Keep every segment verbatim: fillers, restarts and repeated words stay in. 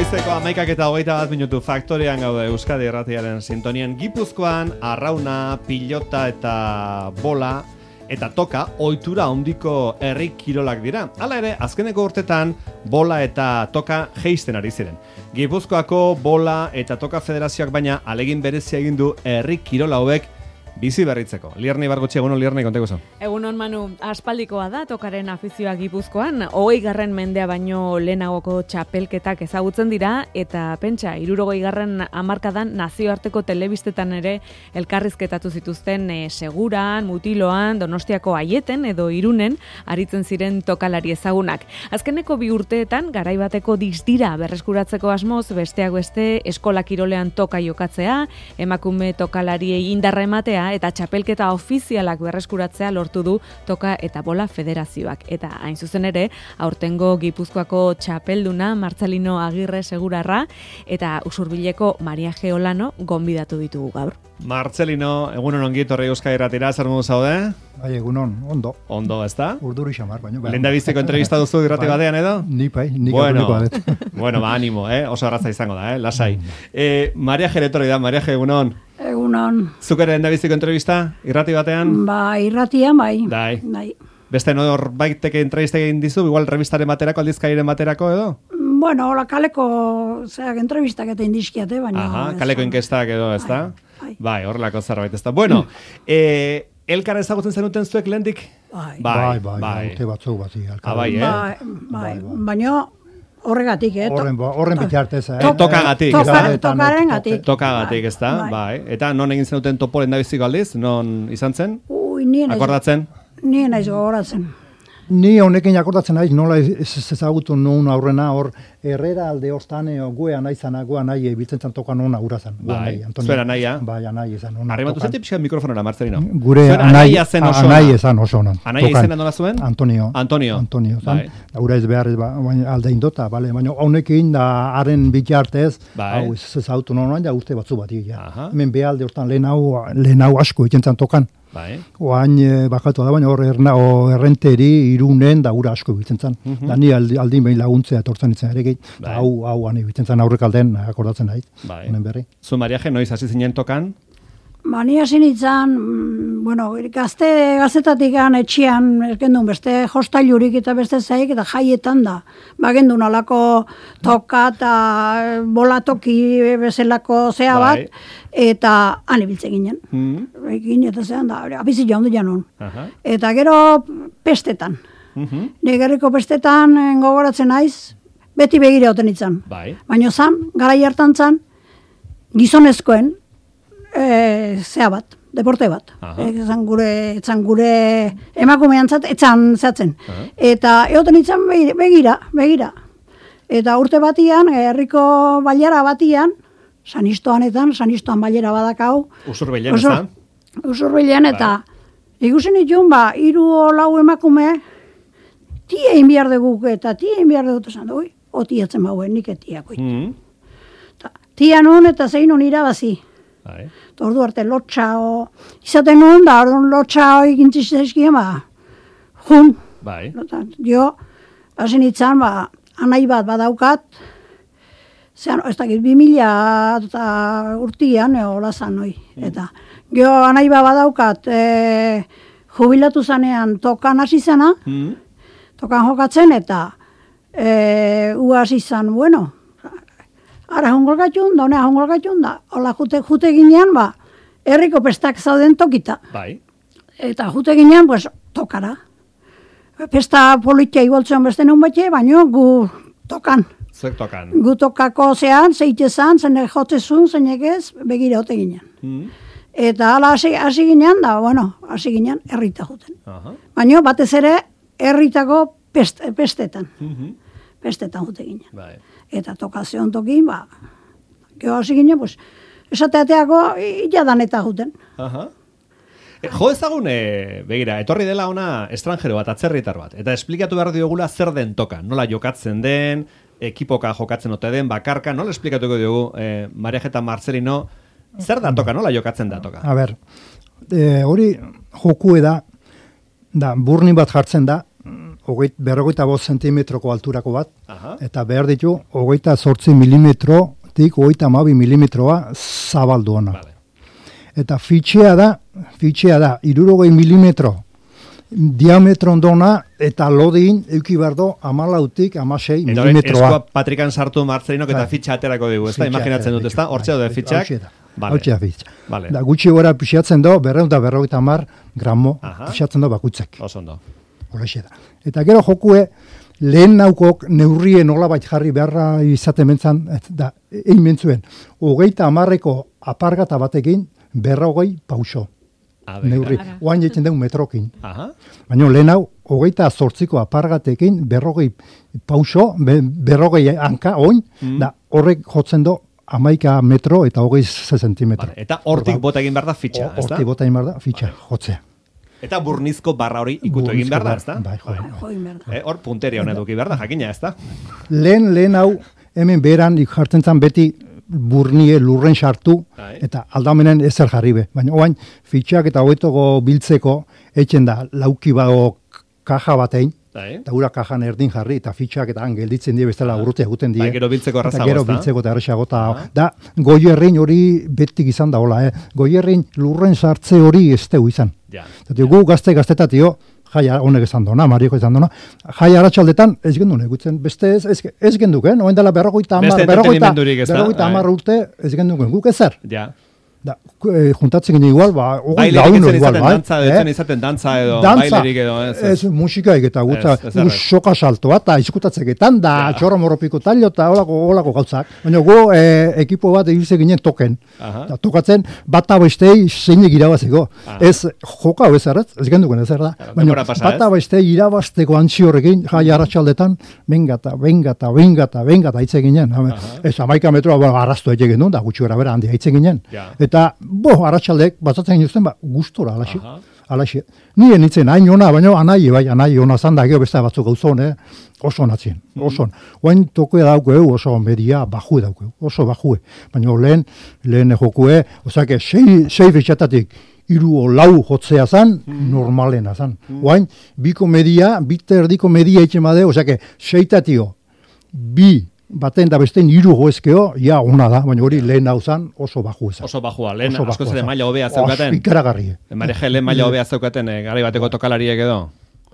Goizeko hamaikak eta hogeita bat minutu faktorian gaude Euskadi Irratiaren sintonian. Gipuzkoan arrauna, pilota eta bola eta toka ohitura handiko herri kirolak dira. Hala ere, azkeneko urtetan bola eta toka jeisten ari ziren. Gipuzkoako bola eta toka federazioak baina alegin berezia egin du herri kirola hauek bizi berritzeko. Lierni Bargotxi, egunon Lierni, konteko zo. Egunon Manu, aspaldikoa da tokaren afizioa Gipuzkoan, hogei garren mendea baino lehenagoko txapelketak ezagutzen dira, eta pentsa, hirurogei garren hamarkadan nazioarteko telebistetan ere elkarrizketatu zituzten e, Seguran, Mutiloan, Donostiako Aieten edo Irunen aritzen ziren tokalari ezagunak. Azkeneko bi urteetan, garaibateko distira berreskuratzeko asmoz, besteak beste eskola kirolean toka jokatzea, emakume tokalariei indarra ematea, eta txapelketa ofizialak berreskuratzea lortu du toka eta bola federazioak. Eta hain zuzen ere, aurtengo Gipuzkoako txapelduna Martzelino Agirre Segurarra eta Usurbileko Maria Geolano gonbidatu ditugu gaur. Martzelino, egunon ongi etorri Euskadi Irratira, zer modu zaude? Bai, egunon, ondo. Ondo, ezta? Urduri xamar, baina. Lehendabiziko entrevista duzu irrati batean edo? Ni pai, nik bueno, aurreneko badet. Bueno, ba, animo, eh? Oso arraza izango da, eh? Lasai. Eh, Maria Ge etorri da, Maria Ge, egunon. Egunon. Zuk ere lehendabiziko entrevista irrati batean? Ba, irratian bai. Dai. Bai. Beste nor baiteke entrevista egin dizu, igual revistaren baterako, aldizkairen baterako edo? Bueno, hola kaleko, zeak, entrevistak eta indizkiate, baina... Aha, kaleko inkestak edo, ez da? Bai, bai, horrelako zerbait, ez da. Bueno, eh, elkar ezagutzen zenuten zuek lehendik? Bai. Bai, bai, bai. Urte batzuk bat. Ah, bai, eh? Bai, bai, baina horregatik, eh? Horren, horren bitartez, eh? To, tokagatik, ez toka, da? Tokaren gatik. Tokagatik, ez da? Bai. Bai. Eta non egin zenuten topo lehendabiziko aldiz? Non izan zen? Ui, nien naiz. Akordatzen? Nien naiz gogoratzen. Ni honekin akordatzen naiz, nola ez ezagutu nuen aurrena, hor, Herrera alde hostane, guea nahi zana, guea nahi, biltzen zan tokan hona urazan. Bai, zuera naia. Bai, anai ezan. Arrimatu zeti pixka mikrofonora, Marcelino. Gure anaia zen oso. Anai ezan oso onan. Anaia izena nola zuen? Antonio. Antonio. Antonio, zan. Bai. Ura ez behar, ba, alde indota, bale, baina honekin da haren bitartez, bai. hau ez ezagutu nuen, ja urte batzu bat ja. Aha. Hemen behalde hostan lehen hau, lehen hau asko egiten zan tokan. Bai. Oain e, bakatu da, baina hor erna, o, errenteri irunen da ura asko biltzen zan. Mm -hmm. Da ni aldi, aldin behin laguntzea etortzen itzen ere gehi. Bai. Hau, hau, ane biltzen zan aurrek alden akordatzen nahi. Bai. Honen berri. Zu, Maria Ge, noiz hasi zinen tokan? Ba, ni hasi nintzen, bueno, gazte gazetatik gan etxian, gendun beste hostailurik eta beste zaik, eta jaietan da. Ba, gendun alako toka eta bolatoki bezalako zea bat, bai. eta han ibiltzen ginen. Mm. Ekin, eta zean da, abizi jaundu janun. Aha. Eta gero pestetan. Mm-hmm. Negerriko pestetan gogoratzen naiz, beti begira oten itzan. Bai. Baina zan, garai hartan zan, gizonezkoen, E, zea bat, deporte bat. Etzan gure, etzan gure emakumean zat, etzan zehatzen. Eta egoten itzan begira, begira. Eta urte batian, herriko bailara batian, sanistoanetan, sanistoan bailara badakau. Usurbilen, ez da? Usurbilen, eta ikusen itun, ba, hiru lau emakume, tie egin behar dugu, eta tie egin behar dugu, esan du, o tiatzen bauen, nik etiako. Mm. Tia nun eta zein nun irabazi. Bai. Ordu arte lotxa o... Izaten nuen, da, orduan lotxa hori gintziztezkien, ba, jun. Bai. Jo, hasi nintzen, ba, anai bat badaukat, zean, ez dakit, bi mila eta urtian, hola zan, noi. Eta, jo, anai bat badaukat, e, jubilatu zanean tokan hasi zena, Mm. tokan jokatzen, eta e, u hasi zan, bueno, ara jongolgatxun, da honea jongolgatxun, da hola jute, jute ginean, ba, herriko pestak zauden tokita. Bai. Eta jute ginean, pues, tokara. Pesta politia igualtzen beste nun batxe, baina gu tokan. Zuek tokan. Gu tokako zean, zeite zan, zene jotzezun, zeinek ez, begira ote ginean. Mm. Eta hala hasi, hasi ginean, da, bueno, hasi ginean, herrita juten. Aha. Baina batez ere, herritako pest, pestetan. Mm-hmm. Pestetan jute ginean. Bai. Eta tokazion tokin, ba, geho hasi ginen, pues, esateateako iladan eta juten. Aha. E, jo ezagun, e, begira, etorri dela ona estranjero bat, atzerritar bat, eta esplikatu behar diogula zer den toka, nola jokatzen den, ekipoka jokatzen ote den, bakarka, nola esplikatuko diogu, e, Maria Ge eta Marcelino, zer da toka, nola jokatzen da toka? A ber, e, hori jokue da, da, burni bat jartzen da, hogeit, berrogeita bost zentimetroko alturako bat, Aha. eta behar ditu, hogeita zortzi milimetrotik hogeita hamabi milimetroa zabalduana. Vale. Eta fitxea da, fitxea da, irurogei milimetro diametro ondona, eta lodin euki berdo amalautik amasei Eta milimetroa. eskoa patrikan sartu Marcelinok eta Bai. fitxa aterako digu, ezta? Fitxa Imaginatzen dut, aterako ezta? digu, Hortxe bai. daude fitxak. Hauxe da. Vale. Hauxe da fitxa. Vale. Da gutxi gora pisatzen do, berreun da berrogeita hamar gramo Aha. pisatzen do bakutzek. Oso ondo. Horrexe da. Eta gero jokue, lehen naukok neurrien nolabait jarri beharra izaten mentzan, et- da, egin mentzuen, hogeita hamarreko apargata batekin, berrogei pauso. A ver. Neurri. Ara. Oain jetzen dugu metrokin. Aha. Baina lehen hau, hogeita zortziko apargatekin, berrogei pauso, be, berrogei hanka, oin, Mm. da horrek jotzen do, amaika metro eta hogei zentimetro. Vale. Eta hortik bota egin behar da fitxa, ezta? Hortik bota egin behar da, fitxa, jotzea. Eta burnizko barra hori ikutu egin behar da, ezta? Bai, jo. Join behar da. Eh, hor punteria hona eduki behar da, jakina, ezta? Lehen, lehen hau, hemen beran jartzen zan beti burnie lurren sartu, Bai. eta aldamenen ezer jarri be. Baina oain, fitxak eta hogetoko biltzeko, etxen da, lauki bago kaja batein, Bai. eta gura kajan erdin jarri, eta fitxak eta han gelditzen die bestela urrutia eguten die. Bai, gero biltzeko Eta errazago, gero ezta? biltzeko eta errazago, eta Aha. da, goierrin hori betik izan da, hola, eh? Goierrin lurren sartze hori ez teu izan. Ja. Eta gu gazte gaztetatio, jaia honek esan dona, Marioko esan dona, jaia aratsaldetan ez gendu negutzen, beste ez, ez, ez genduken, oen dela berrogeita hamar, Beste berrogeita, entretenimendurik ez da, berrogeita bai. hamar urte ez genduken, guk ezer. Ja. Da, eh, juntatzen ginen igual, ba, hogei Bailerik laun etzen igual, izaten bai. dantza, etzen izaten dantza edo, Dantza, bailerik edo, ez, ez. ez musikaik eta gutza, Ez, ez errez. soka saltoa eta izkutatzeketan, da Ja. txorro morropiko tallo eta olako, olako gauzak. Baina gu eh, ekipo bat egize ginen token. Aha. Da, tokatzen bata bestei zeinek irabazeko. Aha. Ez joka hau ez erraz, ez genduken ez da. Claro, Baina denbora pasa, bata ez? bestei irabazteko antzi horrekin, jai arratsaldetan, bengata, bengata, bengata, bengata hitze ginen. Hame, ez amaika metroa ba, arrastu egin genuen, da gutxi gara bera handi hitze ginen. Ja. Eta, bo, arratsaldek, batzatzen ginen ba, gustora, alaxi. Aha. Alaxi. Nien nintzen, hain ona, baina anai, bai, anai ona zan da, gero beste batzuk gauzon, eh? Oso natzien, oso. Oain toke daukeu, oso media bajue daukeu, oso bajue. Baina lehen, lehen jokue, osake, sei, sei fitxatatik, iru o lau jotzea zan, normalena zan. Oain, biko media, bite erdiko media itxe made, osake, seitatio, bi, baten da bestein hiru joezkeo, ja, ona da, baina hori lehen hau zan, oso baju ezan. Oso bajua, lehen Oso askoz bajua ere zan. maila hobea Os, zeukaten. ikaragarri. Mareje lehen maila hobea zeukaten, eh, garai bateko tokalariek edo.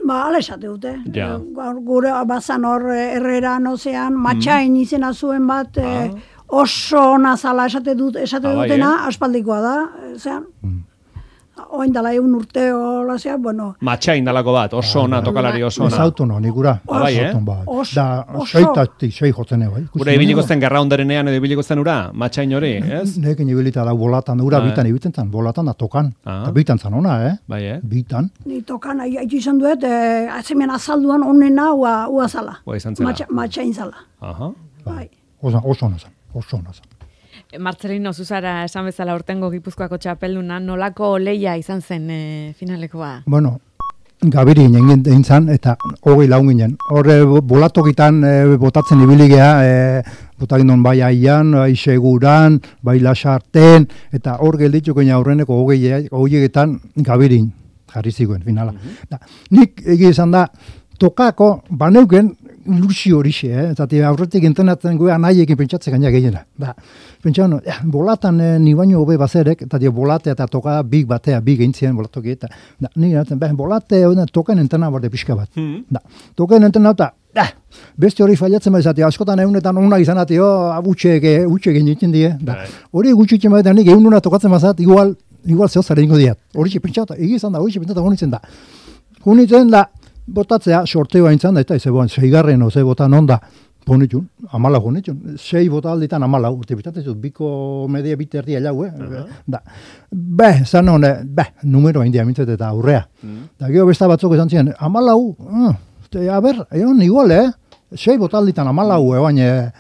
Ba, ala esate dute. Ja. Gaur gure bazan hor eh, Herreran ozean, matxain izena zuen bat, eh, oso nazala esate, dut, esate Ah, bai, dutena, aspaldikoa da. eh, Zean, oin dala egun urte hola zean, bueno, Matxain dalako bat, oso ona, tokalari oso Ez ona. autono, nigura. Ah, bai, eh? Auton bat. Oso, Da, oso. seitatik, sei jotzen bai. Ikusten Gure ibiliko dugu. zen gerra ondarenean edo ibiliko zen ura, matxain hori, ez? Nekin ibilita da bolatan, ura Ah. bitan ibiltzen zan, bolatan da tokan. Ah. Eta bitan zan ona, eh? Bai, eh? Bitan. ni tokan haitu izan duet, eh, atzemen azalduan onena ua, ua zala. Ua izan zela. Matxa, matxain zala. Aha. Bai. Oso, oso ona zan, oso ona zan. Marcelino Zuzara esan bezala urtengo Gipuzkoako txapelduna, nolako leia izan zen e, finalekoa? Bueno, gabiri egin egin zan, eta hogei laun ginen. Horre, bolatokitan e, botatzen ibili geha, e, botakin duen bai aian, bai seguran, bai lasarten, eta hor gelditu ginen aurreneko hogei, hogeietan gabirin jarri ziguen finala. Da, nik egia izan da, tokako, baneuken, ilusio horixe, eh? Eta aurretik entrenatzen goea nahiekin pentsatzen gaina gehiena. Da, pentsa, no, eh, bolatan eh, ni baino hobe bazerek, eta dio bolate eta toka big batea, big eintzien bolatoki, eta da, ni gaten, beh, bolate, oden, token entrena borde pixka bat. Da, token entrena eta, da, beste hori failatzen baizatea, askotan egunetan ona izan atio, utxek, utxek egin die, da, Bai. hori gutxitzen baita, nik egun tokatzen bazat, igual, igual zehozare ingo diat. Hori pentsata, egi izan da, hori pentsata honitzen da. Honitzen da, botatzea, sorteoa intzan da, eta ez eboan, seigarren oze botan onda, ponitxun, amala honitxun, sei bota alditan amala, urte bitatezut, biko media bite erdia jau, eh? Da, beh, zan hone, beh, numero hain diamintzet eta aurrea. Da, gero besta batzuk esan ziren, amalau, uh, a ber, egon igual, eh? Sei bota alditan amalau, eban, eh,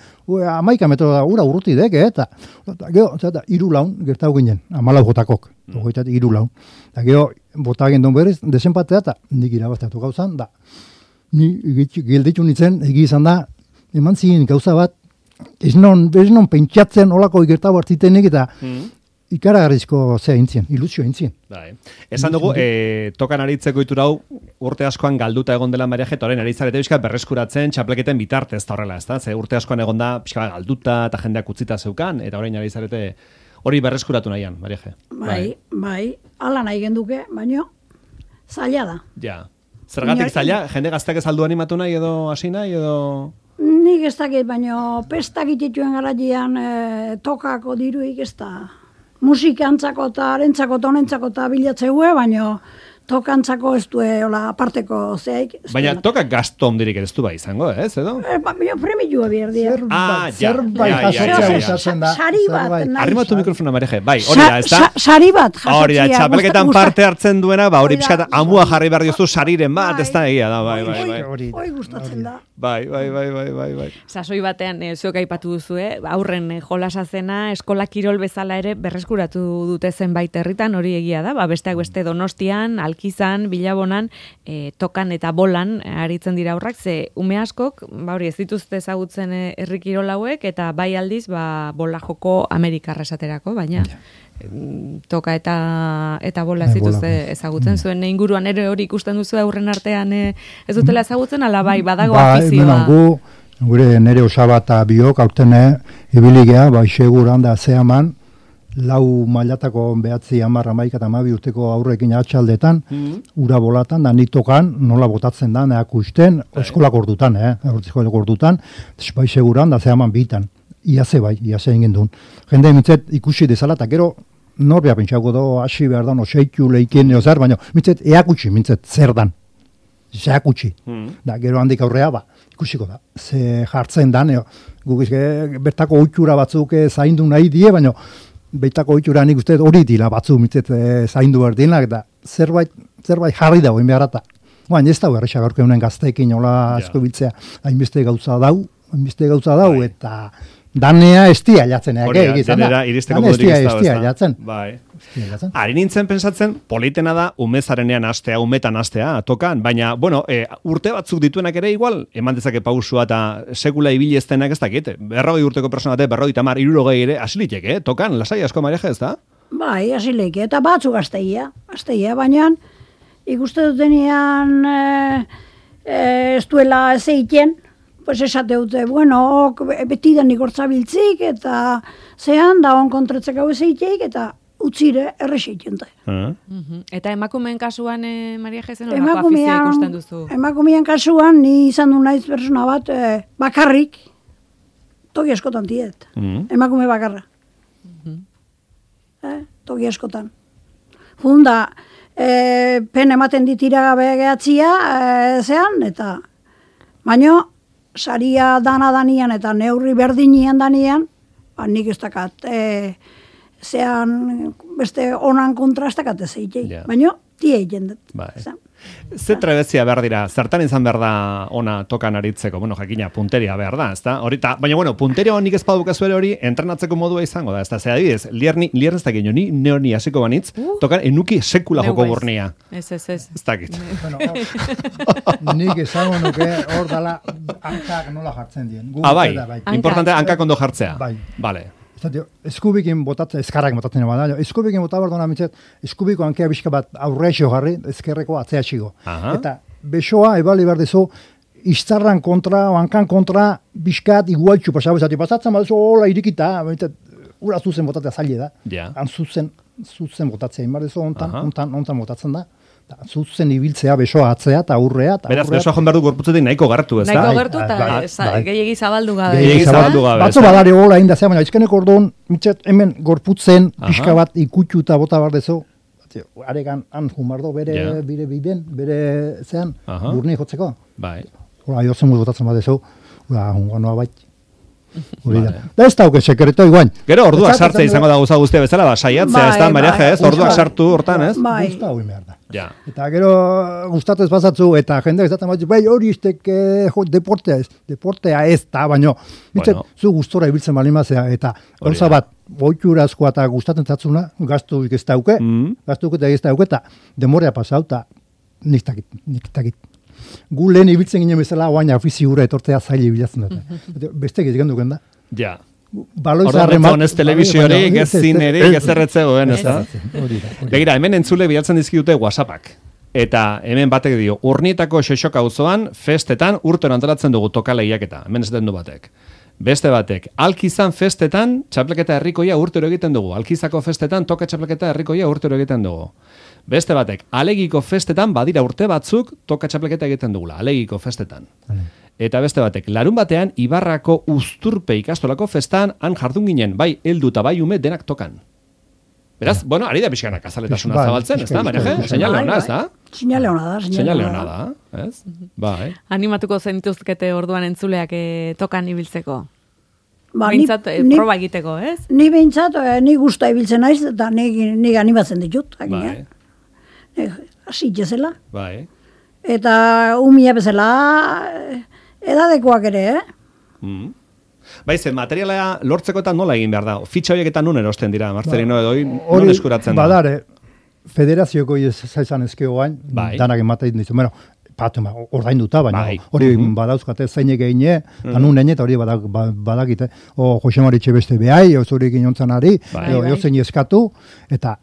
amaika metro da, ura urruti dek, eh? Eta, eta gero, eta, iru laun, gertau ginen, amalau botakok, ogoitatik iru laun. Da, gero, bota egin duen berriz, desenpatea, eta nik irabazteatu gauzan, da, ni gelditu nintzen, egi izan da, eman ziren gauza bat, ez non, ez non pentsatzen olako gertau hartzitenik, eta ikaragarrizko zea intzien, ilusio intzien. Bai. Esan dugu, e, tokan aritzeko iturau urte askoan galduta egon dela Maria Jeta, orain aritzarete bizka berreskuratzen txapleketen bitartez eta horrela, ezta? Ze urte askoan egon da pixka galduta eta jendeak utzita zeukan, eta orain aritzarete hori berreskuratu nahian, Maria Je. Bai, bai, ala nahi genduke, baino zaila da. Ja. Zergatik zaila, jende gazteak ez aldu animatu nahi edo hasi nahi edo... Nik ez dakit, baino pestak itituen garaian e, tokako diruik ez da. Musikantzako eta arentzako eta honentzako eta bilatzeue, baino tokantzako ez du hola aparteko zeik. Baina tokak gasto ondirik ez du bai izango, ez, edo? E, ba, premilua bierdia. Ah, ja. Zerbait jasotzea da. Sari bat. Arrimatu mikrofona, Mareje. Bai, hori da, ez da? Sari bat jasotzea. Hori da, txapelketan parte hartzen duena, ba, hori pixkat amua jarri behar diozu sariren bat, ez da egia da, bai, bai, bai. Hoi gustatzen da. Bai, bai, bai, bai, bai, bai. Sasoi batean, e, zuek aipatu duzu, eh? Aurren e, jolasa zena, eskola kirol bezala ere berreskuratu dute zenbait herritan, hori egia da, ba, besteak beste Donostian, Alkizan, Bilabonan, e, tokan eta bolan e, aritzen dira aurrak, ze ume askok, ba, hori ez dituzte ezagutzen e, herri kirol hauek, eta bai aldiz, ba, bola joko Amerikarra esaterako, baina... toka eta eta bola ez dituzte ezagutzen zuen inguruan ere hori ikusten duzu aurren artean e, ez dutela ezagutzen ala bai badago afizioa. Bai, gu gure nere osaba eta biok aurten ibiligea bai seguran da zeaman lau mailatako behatzi hamar hamaika eta hamabi urteko aurrekin atxaldetan ura bolatan da nik tokan nola botatzen da akusten eskolak ordutan eh eskolak ordutan bai seguran da zeaman bitan Iaze bai, iaze egin duen. Jende mitzet ikusi dezala, eta gero norbea pentsako do, hasi behar da, no, seitu leiken, neo zer, baina mitzet eakutsi, mitzet zer dan. Zeakutsi. Mm. Da, gero handik aurrea, ba, ikusiko da. Ze jartzen da, neo, guk izke, bertako oitxura batzuk zaindu nahi die, baina bertako oitxura nik uste hori dila batzu mitzet e, zaindu behar dinak, eta zerbait, zerbait jarri dago, inbeharata. Baina ez da, errexak aurke honen gazteekin, hola asko biltzea, hainbeste gauza dau, hainbeste gauza dau, bai. Eta... Danea estia jatzen, ege, egiten da. Iristeko modurik ez da, estia jatzen. Bai. Ari nintzen pensatzen, politena da, umezarenean astea, umetan astea, tokan, baina, bueno, e, urte batzuk dituenak ere igual, eman dezake pausua eta sekula ibili ez denak ez dakit, berrogei urteko persona bate, berrogei tamar, irurogei ere, asiliteke, eh? Tokan, lasai asko Maria ez da? Bai, asileke, eta batzuk asteia, asteia, baina ikuste dutenean e, e, ez duela ez egiten, pues esate dute, bueno, beti da nik hortzabiltzik, eta zean, da on kontretzek hau ezeiteik, eta utzire errexeiten da. Uh -huh. Eta emakumeen kasuan, eh, Maria Jezen, horako afizia ikusten duzu? Emakumeen kasuan, ni izan du naiz persona bat, eh, bakarrik, toki askotan tiet. Uh -huh. Emakume bakarra. Uh -huh. eh, toki askotan. Funda, eh, pen ematen ditira gabe gehatzia, eh, zean, eta baino, saria dana danian eta neurri berdinian danian, ba, nik ez dakat, e, zean beste onan kontrastakat ez egitei, yeah. Baina tie egiten dut. Bai. Ze trebezia behar dira, zertan izan behar da ona tokan aritzeko, bueno, jakina, punteria behar da, ezta? Horita, baina, bueno, punteria honik ez padukazu ere hori, entrenatzeko modua izango da, ezta? Zer adibidez, lierni, lierni ez dakit, ni neoni hasiko banitz, uh, tokan enuki sekula joko burnia. Ez, ez, ez. Ez dakit. Bueno, nik esango nuke hor dala hankak nola jartzen dien. Ah, bai, importante hankak ondo jartzea. Bai. Vale. Eskubikin botatzen, eskarrak botatzen bada, eskubikin botatzen behar duna mitzet, eskubiko hankea bizka bat aurreixo jarri, ezkerreko atzea txigo. Eta besoa, ebali behar dezu, iztarran kontra, hankan kontra, bizkat igualtxu pasabu, zati pasatzen bat, hola irikita, ura zuzen botatzea zaila da. Yeah. Han zuzen, zuzen botatzea, inbar dezu, ontan, ontan, ontan botatzen da. Zuzen ibiltzea besoa atzea eta aurrea. Beraz, besoa joan behar du gorputzetik nahiko gartu, ez da? Nahiko gartu eta gehiagi zabaldu gabe. Gehiagi zabaldu gabe. Batzu badari hola inda zea, baina izkenek orduan, mitzet, hemen gorputzen, pixka bat ikutxu eta bota behar dezu, aregan han jumardo bere, yeah. bire biden, bere zean, burni jotzeko. Bai. Hola, jozen muz botatzen bat dezu, hola, jungoa bait. Vale. Da ez dauke sekreto iguain. Gero orduak sartzea izango da gauza guztia bezala, ba, saiatzea, ez da, Maria ez, orduak sartu hortan, ez? Bai. Gusta hoi behar da. Ja. Eta gero gustatuz pasatzu, eta jende ezaten bat, bai hori iztek eh, deportea ez, deportea ez da, baina mitzet, bueno. Zu gustora ibiltzen balimazea, eta gauza bat, boiturazkoa eta gustatzen zatzuna, gaztu ez dauke, mm. gaztu ez dauke, eta demorea pasau, eta nik takit, nik takit. Gu lehen ibiltzen ginen bezala, oain afizi hura etortzea zaila ibiltzen dut. Beste egiten duken da. Ja. Orduan, ez telebiziorik, ez zinerik, ez erretzegoen, ez da? Begira, hemen entzule bilatzen dizkidute WhatsAppak. Eta hemen batek dio, Urnietako Xoxoka auzoan festetan urtero antolatzen dugu toka lehiaketa. Hemen ez den du batek. Beste batek, Alkizan festetan txapleketa herrikoia urtero egiten dugu. Alkizako festetan toka txapleketa herrikoia urtero egiten dugu. Beste batek, Alegiko festetan badira urte batzuk toka txapleketa egiten dugula. Alegiko festetan. Eta beste batek, larun batean Ibarrako Uzturpe ikastolako festan han jardun ginen, bai heldu eta bai ume denak tokan. Beraz, bueno, ari da pixkanak azaletasuna zabaltzen, ez da, Mariaje? Seinale hona, ez da? Seinale hona da, seinale hona da, ez? Bai. Animatuko zenituzkete orduan entzuleak eh, tokan ibiltzeko? Ba, Behintzat, eh, ni- proba egiteko, ez? Ni behintzat, eh, ni gusta ibiltzen naiz, eta ni, ni animatzen ditut. Bai, Bai. Hasi jezela. bai. Eta umia bezala eh, edadekoak ere, eh? Mm. Bai, ze materiala lortzeko eta nola egin behar da? Fitxa horiek eta nun erosten dira, Marcelino edo, non eskuratzen da? Badare, federazioko zaizan ezkeo gain, Bai. danak ematen ditu. Bueno, patu, ordainduta, baina Bai. hori Mhm. badauzkate zeinek egine, eta nun egine, eta hori badak, ba- badakite. O Jose Maritxe beste behai, o zuri ginontzan ari, Bai. edo Bai. jozein eskatu, eta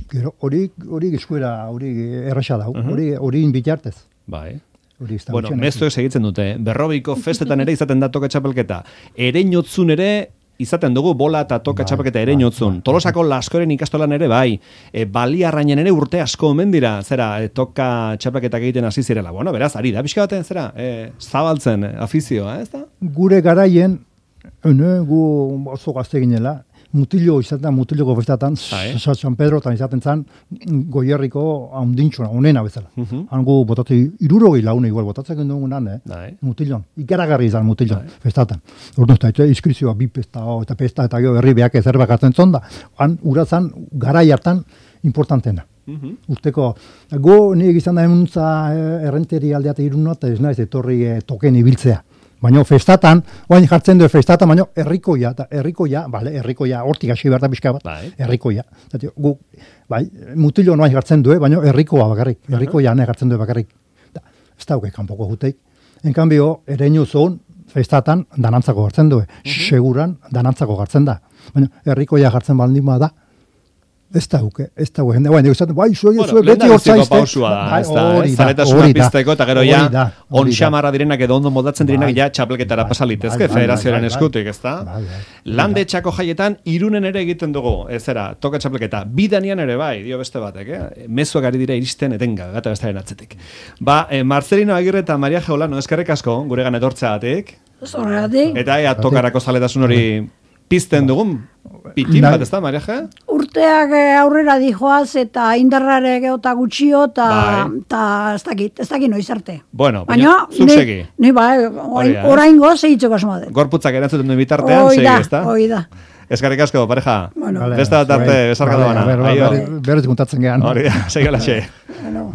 gero hori hori eskuera, hori erraxa dau, hori hori bitartez. Bai. Hori ez da Bueno, gutxien, mezuek segitzen dute, eh? Berrobiko festetan ere izaten da toka txapelketa. Ereinotzun ere izaten dugu bola eta toka Bai, txapelketa bai, ereinotzun. bai. Tolosako Laskoren ikastolan ere bai. E, Baliarrainen ere urte asko omen dira, zera, e, toka txapelketak egiten hasi zirela. Bueno, beraz, ari da, pixka baten, zera, e, zabaltzen e, afizioa, ez da? Gure garaien, ene, gu oso gazte ginela, mutilo izaten, mutiloko festatan, Bai. San Pedro, eta izaten zan, goierriko haundintxuna, onena bezala. Mhm. Hango botati, irurogei laune igual, botatzen dugunan, eh? Bai. Mutilon, ikaragarri izan mutilon, festatan. Ordu, eta izkrizioa bi pesta, o, eta pesta, eta gero herri behak ezer bakatzen zonda. Han, urazan, garai hartan, importantena. Mhm. Urteko, go, nire izan da emuntza errenteri aldeate irunua, eta ez naiz etorri eh, token ibiltzea. Baina festatan, oain jartzen du festatan, baina herrikoia, eta herrikoia, bale, herrikoia, hortik hasi behar da pixka bat, Bai. herrikoia. Zati, gu, bai, mutilo noain jartzen du, baina herrikoa bakarrik, herrikoia ne jartzen du bakarrik. Da, ez dauke kanpoko juteik. En cambio, ereinu zon, festatan, danantzako jartzen du, seguran, danantzako jartzen da. Baina herrikoia jartzen baldin da, ez dauke, ez dauke, jende, baina, esaten, bai, zue, Bueno, zue, beti lehendabiziko hortzaizte. pausua da, Bai, ez da, hori eh? da, Zaletasuna hori da, pizteko, eta gero hori ja, da, hori on da. xamarra direnak edo ondo moldatzen direnak Bai. ja txapelketara Bai, pasalitezke, bai, bai, federazioaren bai, bai. eskutik, ez da? Bai, bai. Lande txako jaietan, irunen ere egiten dugu, ez zera, toka txapelketa. Bidanian ere bai, dio beste batek, eh? Mezuak ari dira iristen etenga, gata bestaren atzetik. Ba, eh, Marcelino Agirre eta Maria Geolano, eskerrik asko, guregan etortzeagatik. Zorregatik, Eta ea tokarako zaletasun hori pizten dugun, pitin Bai. bat, ez da, Maria Ge? urteak eh, aurrera dijoaz, eta indarrare geota gutxio, eta Bai. eta ez dakit, ez dakit noiz arte. Bueno, Baina, baina, zuk ni- segi. Ni bai, Hori da, eh? orain goz egitzeko asmoa dut. Gorputzak erantzuten duen bitartean, Hoi segi, da, ez da? hoi da. Eskerrik asko, pareja. Bueno. Vale, Beste bat arte, zuei. besarkada Vale, bana. a ver, Aio. berriz kontatzen gehan. Hori da, segi alaxe. Bueno.